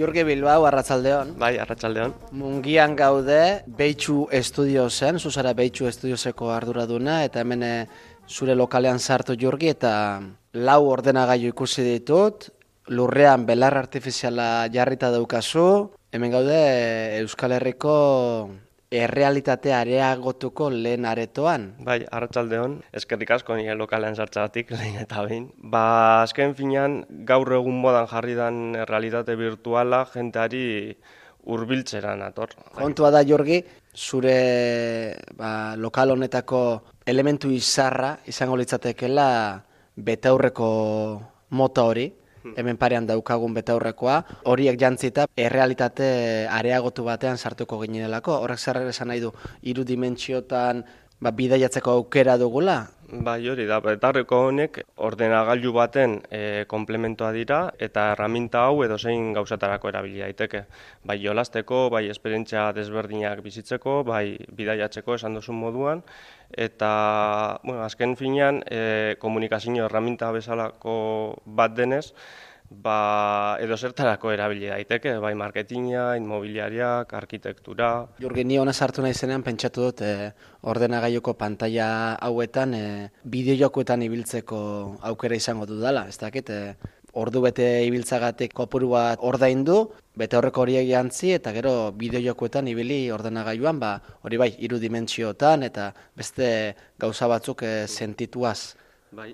Jurgi Bilbao, arratsaldeon. Bai, arratsaldeon. Mungian gaude, Beitsu Estudiosen, zuzara Beitsu Estudioseko arduraduna, eta hemen zure lokalean sartu Jurgi, eta 4 ordenagailu ikusi ditut, lurrean belar artifiziala jarrita daukazu, hemen gaude Euskal Herriko errealitatea areagotuko lehen aretoan. Bai, arratsaldeon. Eskerrik asko nire lokalean sartzagatik lehen eta behin. Azken finean, gaur egun modan jarri dan realitate virtuala jenteari hurbiltzera nator. Kontua da, Jurgi, zure lokal honetako elementu izarra izango litzatekeela betaurreko mota hori. Hemen parean daukagun betaurrekoa, horiek jantzita errealitate areagotu batean sartuko ginelako. Horrek zer esan nahi du, 3 dimentsiotan bidaiatzeko aukera dugula? Bai, hori da, betaurreko honek ordenagailu baten komplementoa dira eta erraminta hau edozein gauzatarako erabili daiteke. Bai jolasteko, bai esperientzia desberdinak bizitzeko, bai bidaiatzeko esan duzun moduan, eta azken finean komunikazio erraminta bezalako bat denez, edozertarako erabili daiteke, bai marketinga, inmobiliariak, arkitektura. Jurgi, ni hona sartu naizenean pentsatu dut ordenagailuko pantaila hauetan bideojokoetan ibiltzeko aukera izango dudala. Ez dakit, ordu bete ibiltzagatik kopuru bat ordaindu, betaurreko horiek jantzi eta gero bideojokoetan ibili ordenagailuan, hori bai, 3 dimentsiotan eta beste gauza batzuk sentituaz. Bai,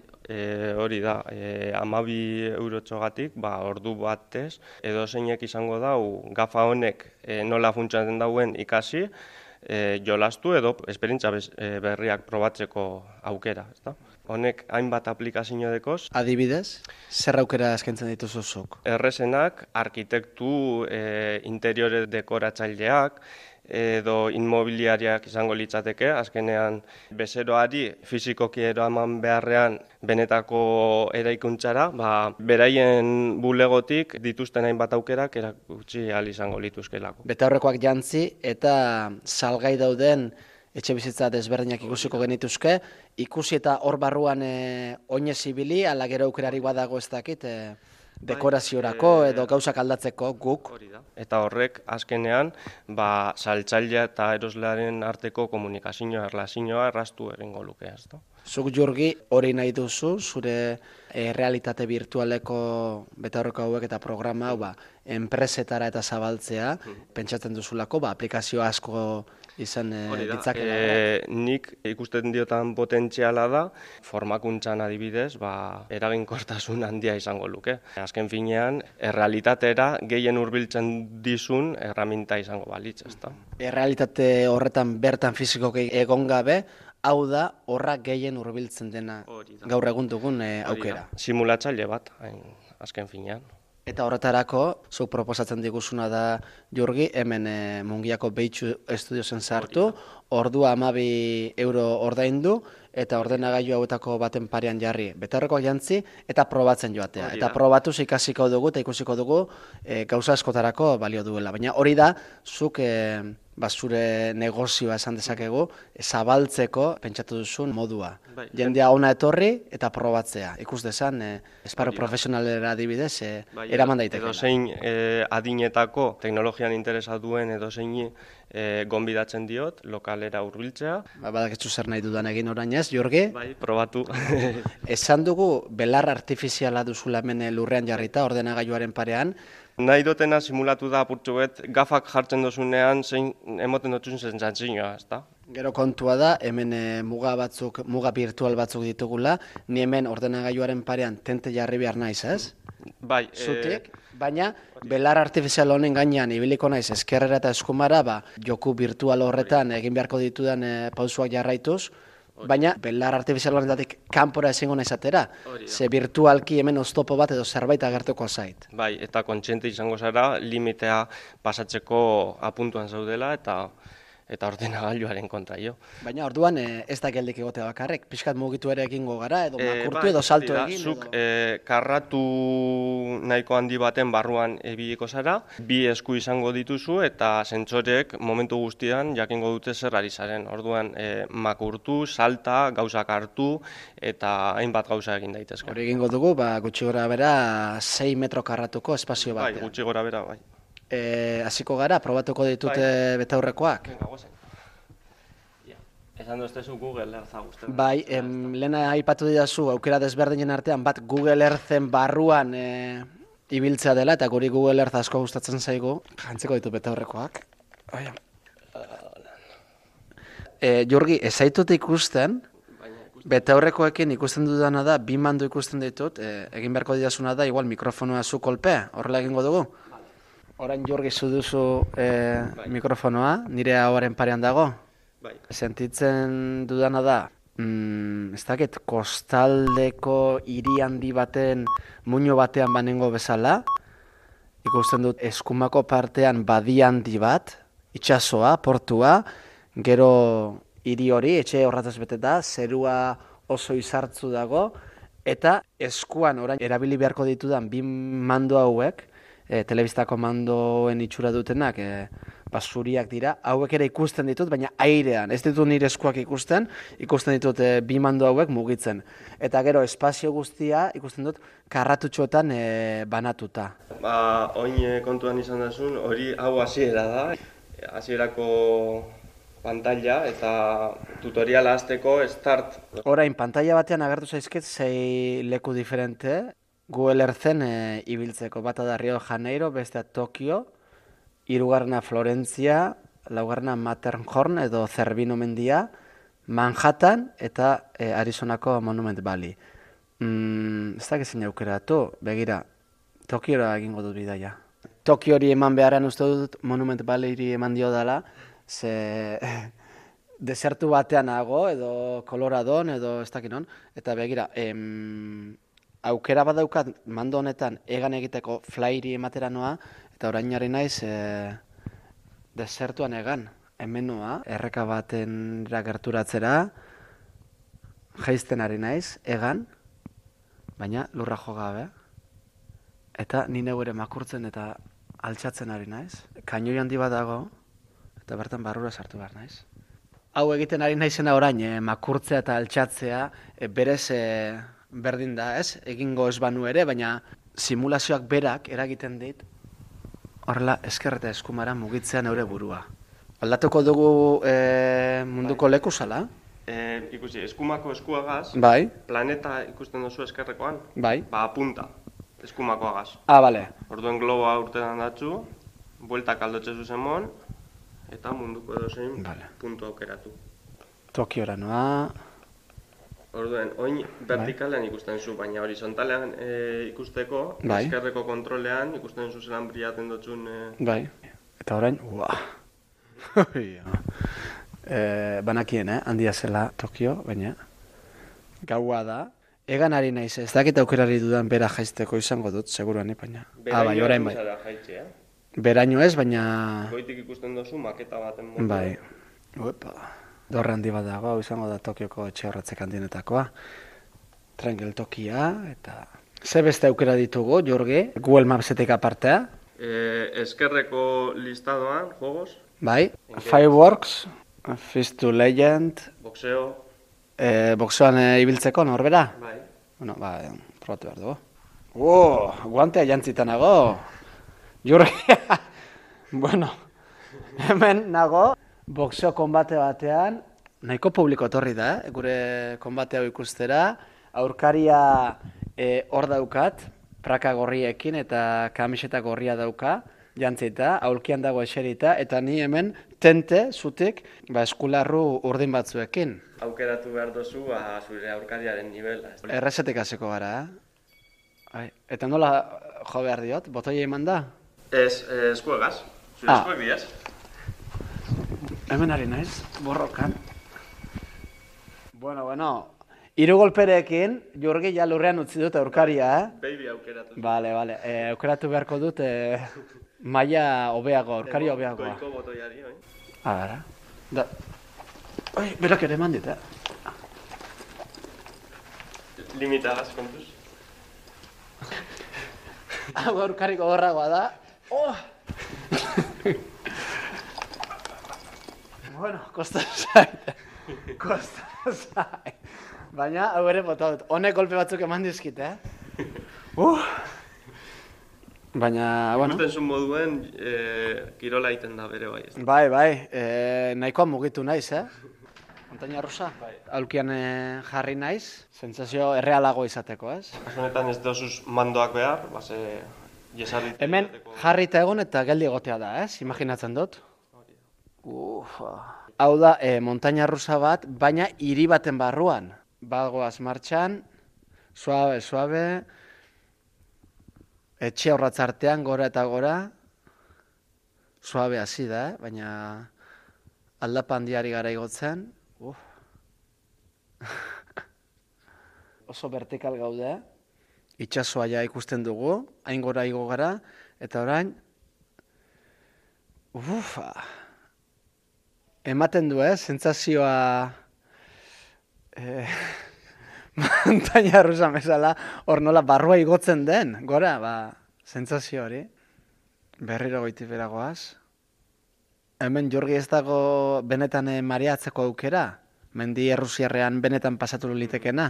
hori da, 12 eurotxogatik, ordu batez, edozeinek izango dau, gafa honek nola funtsatzen dauen ikasi, jolastu edo esperientzia berriak probatzeko aukera. Honek hainbat aplikazio dekoz. Adibidez, zer aukera eskaintzen dituzu zuk? Errezenak, arkitektu, interiore dekoratzaileak, edo inmobiliariak izango litzateke, azkenean bezeroari fizikoki eraman beharrean benetako eraikuntzara, beraien bulegotik dituzten hainbat aukerak erakutsi ahal izango lituzkelako. Betaurrekoak jantzi eta salgai dauden etxe bizitza desberdinak ikusiko genituzke, ikusi eta hor barruan oinez ibili, ala gero aukerarik badago ez dakit, dekoraziorako edo gauzak aldatzeko guk. Eta horrek azkenean saltzailea eta eroslearen arteko komunikazioa, erlazioa erraztu egingo luke. Zuk, Jurgi, hori nahi duzu, zure realitate virtualeko betaurreko hauek eta programa hau enpresetara eta zabaltzea, pentsatzen duzulako, aplikazio asko izan ditzakela. Nik ikusten diotan potentziala da, formakuntzan adibidez, eraginkortasun handia izango luke. Azken finean, errealitatera gehien hurbiltzen dizun erraminta izango balitz. Errealitate horretan bertan fizikoki egon gabe, hau da horra gehien hurbiltzen dena gaur egun dugun aukera. Simulatzaile bat, azken finean. Eta horretarako, zuk proposatzen diguzuna da, Jurgi, hemen Mungiako Beitsu Estudiosen sartu, ordua 12 euro ordaindu, eta ordenagailu hauetako baten parean jarri. Betaurrekoak jantzi eta probatzen joatea. Eta probatuz ikasiko dugu eta ikusiko dugu gauza askotarako balio duela. Baina hori da, zuk zure negozioa esan dezakegu, zabaltzeko pentsatu duzun modua. Jendea ona etorri eta probatzea. Ikus dezan, esparru profesionalera adibidez, eraman daitekeela. Edozein adinetako teknologian interesa duen edozein gonbidatzen diot, lokalera hurbiltzea. Badakitzu zer nahi dudan egin orain ez, Jurgi? Bai, probatu. Esan dugu, belar artifiziala duzula hemen lurrean jarrita, ordenagailuaren parean. Nahi dutena simulatu da apurtxo bet, gafak jartzen dozunean zein emoten dutun sentsazioa, ezta? Gero kontua da, hemen muga virtual batzuk ditugula, ni hemen ordenagailuaren parean tente jarri behar naiz, ez? Bai. Zutik, baina belar artifizial honen gainean ibiliko naiz eskerrera eta eskumara, joku virtual horretan egin beharko ditudan pausuak jarraituz, baina belar artifizial horretatik kanpora ezingo naizatera, ze virtualki hemen oztopo bat edo zerbait agertuko zait. Bai, eta kontziente izango zara, limitea pasatzeko apuntuan zaudela eta ordenagailuaren kontra jo. Baina orduan ez da geldik egotea bakarrek, pixkat mugitu ere egingo gara, edo makurtu edo salto egin. Zuk karratu nahiko handi baten barruan ebiliko zara, 2 esku izango dituzu eta sentsoreek momentu guztian jakingo dute zer ari zaren. Orduan makurtu, salta, gauzak hartu eta hainbat gauza egin daitezke. Hori egingo dugu, gutxi gora bera 6 metro karratuko espazio bat. Bai, gutxi gora bera, bai. Hasiko gara, probatuko ditute betaurrekoak. Venga, guazen. Esan duztezu Google Eartha guztien. Bai, lehena aipatu didazu aukera desberdinen artean, bat Google Earthen barruan ibiltzea dela, eta guri Google Earth asko gustatzen zaigu. Jantzeko ditu betaurrekoak. Jurgi, ez zaitut ikusten, betaurrekoekin ikusten dudana da, bi mando ikusten ditut, egin beharko didazuna da, igual mikrofonoa zu kolpe, horrela egingo dugu. Orain Jurgi zu duzu mikrofonoa, nire ahoaren parean dago. Sentitzen dudana da, ez dakit, kostaldeko hiri handi baten muino batean banengo bezala, ikusten dut eskumako partean badi handi bat, itsasoa, portua, gero hiri hori, etxe horrataz beteta, zerua oso izartzu dago, eta eskuan orain erabili beharko ditudan bi mando hauek, telebistako mandoen itxura dutenak, basuriak dira, hauek ere ikusten ditut, baina airean, ez ditut nire eskuak ikusten ditut bi mando hauek mugitzen. Eta gero espazio guztia ikusten dut karratutxoetan banatuta. Oin kontuan izan duzun, hori hau hasiera da, hasierako pantalla eta tutoriala hasteko start. Orain, pantalla batean agertu zaizket sei leku diferente, Google Earthen ibiltzeko. Bata da Rio de Janeiro, bestea Tokio, hirugarrena Florentzia, laugarrena Matterhorn edo Zerbino mendia, Manhattan eta Arizonako Monument Valley. Ez dakit zein aukeratu, begira, Tokiora egingo dut bidaia. Tokiori eman beharren uste dut Monument Valleyri eman dio dela, ze desertu batean nago edo Coloradon edo ez dakit non, eta begira, aukera badaukat mando honetan egan egiteko flyri ematera noa, eta orain ari naiz desertuan egan, hemen noa, erreka baten gerturatzera, jaizten ari naiz, egan, baina lurra jo gabe, eta ni neu ere makurtzen eta altxatzen ari naiz. Kainoi handi bat dago, eta bertan barrura sartu behar naiz. Hau egiten ari naizena orain, makurtzea eta altxatzea, berez berdin da, ez? Egingo ez banu ere, baina simulazioak berak eragiten dit, horrela esker eta eskumara mugitzea neure burua. Aldatuko dugu munduko leku zala? Ikusi, eskumako eskuagaz, Bai. planeta ikusten duzu eskerrekoan, Bai. Apunta, eskumakoagaz. Bale. Orduen globoa urtean datzu, bueltak aldotze zuzenmon, eta munduko edozein puntu aukeratu. Tokiora noa. Orduen, oin vertikalean ikusten zu, baina horizontalean ikusteko, eskerreko kontrolean ikusten zu zelan briaten dutxun... Bai, eta orain, banakien, handia zela Tokio, baina gaua da. Egan ari naiz, ez dakit aukerari dudan bera jaizteko izango dut, seguruan, baina... Beraino orain bai. Jaitxe, Beraino ez, baina... Goitik ikusten duzu maketa baten modu. Bai. Dorre handi bat dago, hau izango da Tokioko etxe horretzek handienetakoa. Tren geltokia, eta... Ze beste aukera ditugu, Jorge? Google Mapsetik apartea? Eskerreko listadoan, jogos. Bai. Fireworks, Fist to Legend... Boxeo. Boxeoan ibiltzeko, norbera? Bai. Bueno, probatu behar dugu. Guantea jantzita nago. Jorge, bueno, hemen nago. Boxeo konbate batean, nahiko publiko etorri da, gure konbate hau ikustera. Aurkaria hor daukat, praka gorriekin eta kamiseta gorria dauka, jantzita, aulkian dago eserita, eta ni hemen tente, zutik, eskularru urdin batzuekin. Aukeratu behar dozu, zure aurkariaren nivela. Errezetik hasiko gara, Eta nola jo behar diot, botoia eman da? Ez, eskuegaz, zure eskueg diaz. Hemen ari naiz, borrokan. Bueno, hiru golperekin, Jurgi ja lurrean utzi dut aurkaria, Baby aukeratu. Bale, aukeratu beharko dut maila hobeago, aurkaria hobeagoa. Goiko botoiari, oi? Gara. Berak ere eman dit, Limitagaz, kontuz. Hau aurkariko gorragoa da. Bueno, kosta zait. Baina, hau ere bota dut. Honek golpe batzuk eman dizkit, Baina, bueno... Ikusten zuen moduen, kirola egiten da bere bai. Bai, nahikoa mugitu naiz, Montaña rusa? Aulkian jarri naiz, sentsazio errealago izateko, ez? Honetan ez dozuz mandoak behar, base jesarrit... Hemen jarrita egon eta geldi egotea da, ez? Imaginatzen dut. Hau da, montaña rusa bat, baina hiri baten barruan. Bagoaz martxan, suave, etxe horratz artean, gora eta gora, suave hasi da, baina aldapa handiari gara igotzen. Oso vertikal gaude, itsasoa ja ikusten dugu, hain gora igo gara, eta orain, ematen du, sentsazioa montaña rusa bezala, hor nola barrua igotzen den, gora, sentsazio hori. Berriro goitik beragoaz. Hemen Jorgi ez dago benetan mareatzeko aukera? Mendi errusiarrean benetan pasatu litekena?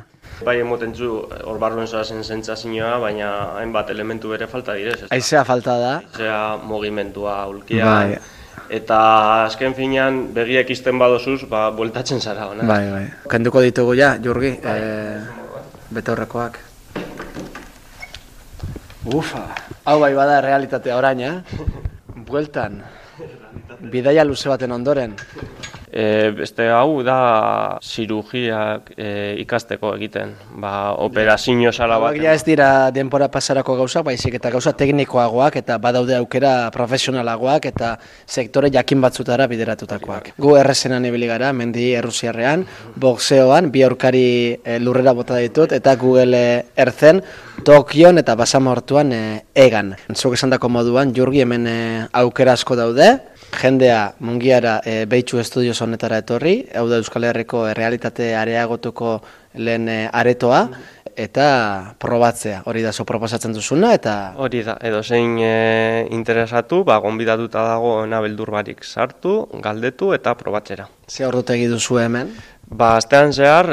Bai, emoten zu, hor barruen zoazen sentsazioa, baina hainbat elementu bere falta direz. Haizea falta da. Haizea mugimentua, ulkian, eta azken finean begiak izten badozuz, bueltatzen zara hona. Bai. Kenduko ditugu ja, Jorgi, betaurrekoak. Hau bai bada realitatea orain, bueltan. Bidaia luze baten ondoren. Beste hau da zirugiak ikasteko egiten, operazio sala bat. Ja ez dira denbora pasarako gauzak, baizik eta gauza teknikoagoak eta badaude aukera profesionalagoak eta sektore jakin batzutara bideratutakoak. Gu errezenan ibili gara, mendi errusiarrean, boxeoan, bi aurkari lurrera bota ditut eta Google Earthen, Tokion eta Basamortuan egan. Zuk esandako moduan, Jurgi hemen aukera asko daude, jendea Mungiara Beitzu Estudios honetara etorri, hau da Euskal Herriko errealitate areagotuko lehen aretoa, eta probatzea, hori da zo proposatzen duzuna, eta... Hori da, edo zein interesatu, gonbidatuta dago nabeldur barik sartu, galdetu eta probatzera. Ze ordutegi duzu hemen? Astean zehar,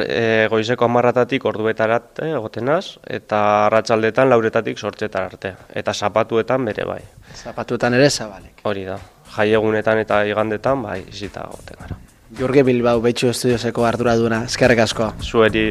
goizeko 10:00 orduetarat egotenaz, eta arratsaldetan 4:00 zortzetar arte, eta zapatuetan bere bai. Zapatuetan ere zabalik. Hori da, jaiegunetan eta igandetan, izita egoten gara. Jurgi Bilbao, Beitzu Estudioseko arduraduna, eskerrik asko. Zueri.